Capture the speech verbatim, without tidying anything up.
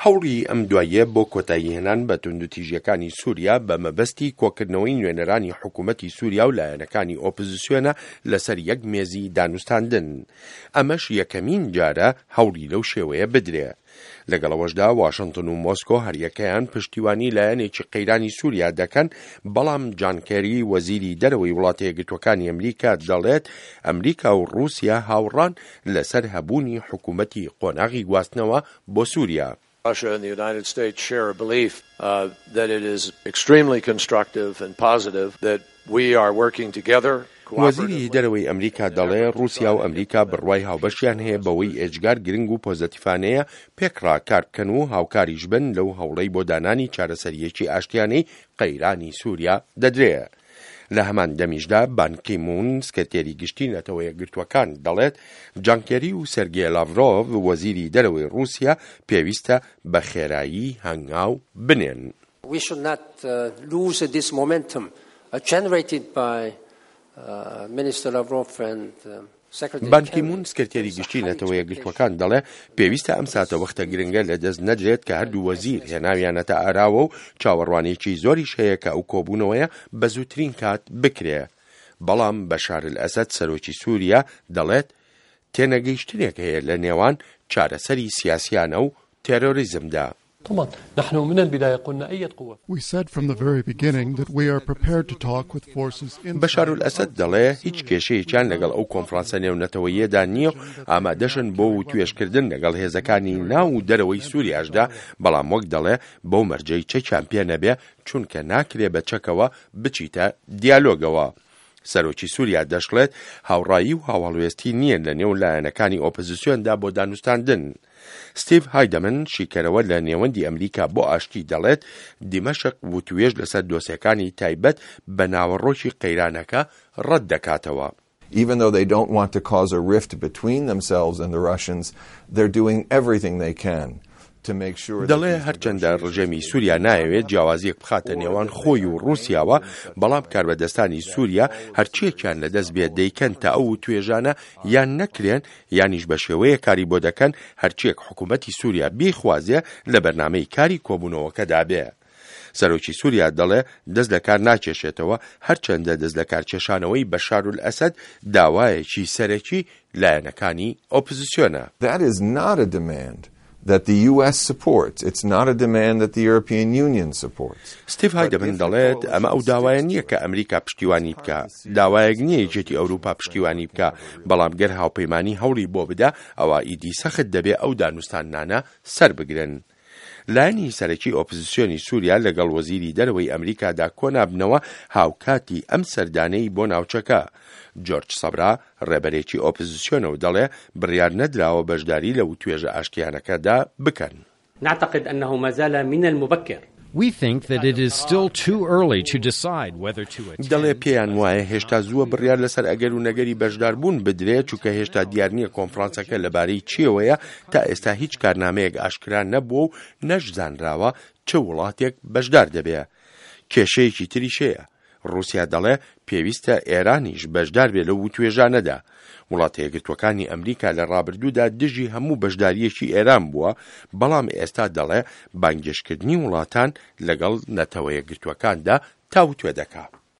هەوڵی ئەم دواییە بۆ کۆتاییهێنان بە توندوتیژیەکانی سووریا بە مەبەستی کۆکردنەوەی نوێنەرانی حکوومەتی سووریا و لایەنەکانی ئۆپۆزیسیۆنە لەسەر یەک مێزی دانوستاندن. ئەمەش یەکەمین جارە هەوڵی لەو شێوەیە بدرێ. لەگەڵ ئەوەشدا واشنتن و مۆسکۆ هەریەکەیان پشتیوانی لایەنێکی قەیرانی سووریا دەکەن، بەڵام جان کێری وەزیری دەرەوەی وڵاتە یەکگرتووەکانی ئەمریکا دەڵێت ئەمریکا و ڕووسیا هاوڕان لەسەر هەبوونی حکوومەتی قۆناغی گواستنەوە بۆ سووریا. Russia and the United States share a belief uh, that it is extremely constructive and positive that we are working together. وەزیری دەرەوەی ئەمریکا دەڵێ ڕووسیا و ئەمریکا بڕوای هاوبەشیان هەیە بەوەی ئێجگار گرنگ و پۆزەتیفانەیە پێکڕا کار بکەن و هاوکاریش بن لەو هەوڵەی بۆ دانانی چارەسەریەکی ئاشتیانەی قەیرانی سووریا دەدرێ. لە هەمان دەمیشدا بان کی مون، سکرتێری گشتی نەتەوە یەکگرتووەکان، دەڵێت جان کێری و سێرگێ لاڤرۆڤ وەزیری دەرەوەی ڕووسیا پێویستە بە خێرایی هەنگاو بنێن. We should not uh, lose this momentum uh, generated by uh, Minister Lavrov and um, Secretary بان کی مون، سکرتێری گشتی نەتەوە یەکگرتووەکان، دەڵێ پێویستە ئەم ساتە وەختە گرنگە لە دەست نەدرێت کە هەردوو وەزیر هێناویانەتە ئاراوە و چاوەڕوانێکی زۆریش هەیە کە ئەو کۆبوونەوەیە بە زووترین کات بکرێ. بەڵام بەشار ئەسەد سەرۆکی سووریا دەڵێت تێنەگەیشتنێک هەیە لە نێوان چارەسەری سیاسیانە و تێرۆریزمدا. طبعا نحن من البداية قلنا أي قوة We said from the very beginning that we are prepared to talk with forces inside بەشار ئەسەد دەڵێ هیچ کێشەیەکیان لەگەڵ ئەو کۆنفرانسە نێونەتەوەیەدا نییە و ئامادەشن بۆ وتوێژکردن لەگەڵ هێزەکانی ناو و دەرەوەی سووریاشدا، بەڵام وەک دەڵێ بەو مەرجەی چەکیان پێ نەبێ، چونکە ناکرێ بە چەکەوە بچیتە دیالۆگەوە. سەرۆکی سووریا دەشڵێت هاوڕایی و هاوڵوێستی نییە لە نێو لایەنەکانی ئۆپۆزیسیۆندا بۆ دانوستاندن. ستیڤ هایدەمن، شیکەرەوە لە نێوەندی ئەمریکا بۆ ئاشتی، دەڵێت دیمەشق وتوێژ لەسەر دۆسیەکانی تایبەت بە ناوەڕۆکی قەیرانەکە ڕەت دەکاتەوە. Even though they don't want to cause a rift between themselves and the Russians, they're doing everything they can to make sure دەڵێ هەرچەندە ڕژێمی سووریا نایەوێت جیاوازیەک بخاتە نێوان خۆی و ڕووسیاوە، بەڵام کاربەدەستانی سووریا هەرچیەکیان لەدەست بێت دەیکەن تا ئەو توێژانە یان نەکرێن یانیش بە شێوەیە کاری بۆ دەکەن هەرچیەک حکوومەتی سووریا بیخوازێ لە بەرنامەی کاری کۆبوونەوەکەدا بێ. سەرۆکی سووریا دەڵێ دەست لە کار ناکێشێتەوە، هەرچەندە دەست لە کارکێشانەوەی بەشار ئەسەد داوایەکی سەرەکی لایەنەکانی ئۆپۆزیسیۆنە. That is not a demand that the U S supports. It's not a demand that the European Union supports. ستیڤ هایدەمن دەڵێت ئەمە ئەو داوایە نییە کە ئەمریکا پشتیوانی بکە، داوایەک نییە یەکێتی ئەوروپا پشتیوانی بکە، بەڵام گەر هاوپەیمانی هەوڵی بۆ بدا ئەوە ئیدی سەخت دەبێ ئەو دانوستاندنانە سەر بگرن. لایەنی سەرەکی ئۆپۆزیسیۆنی سووریا لەگەڵ وەزیری دەرەوەی ئەمریکادا کۆنابنەوە هاوکاتی ئەم سەردانەی بۆ ناوچەکە. جۆرج سەبرا ڕێبەرێکی ئۆپۆزیسیۆنە و دەڵێ بڕیار نەدراوە بەشداری لە وتوێژە ئاشتیانەکەدا بکەن. نعتقد أنه ما زال من المبكر We think that it is still too early to decide whether to attend. دەڵێ پێیان وایە هێشتا زووە بڕیار لەسەر ئەگەر و نەگەری بەشداربوون بدرێت، چونکە هێشتا دیار نییە کۆنفرانسەکە لەبارەی چیەوەیە. تا ئێستا هیچ کارنامەیەک ئاشکرا نەبووە و نەشزانراوە چ وڵاتێک بەشدار دەبێ. کێشەیەکی تریش هەیە. ڕووسیا دەڵێ پێویستە ئێرانیش بەشدار بێ لەو وتوێژانەدا. وڵاتە یەکگرتووەکانی ئەمریکا لە ڕابردوودا دژی هەموو بەشداریەکی ئێران بووە، بەڵام ئێستا دەڵێ بانگێشتکردنی وڵاتان لەگەڵ نەتەوە یەکگرتووەکاندا تاوتوێ دەکا.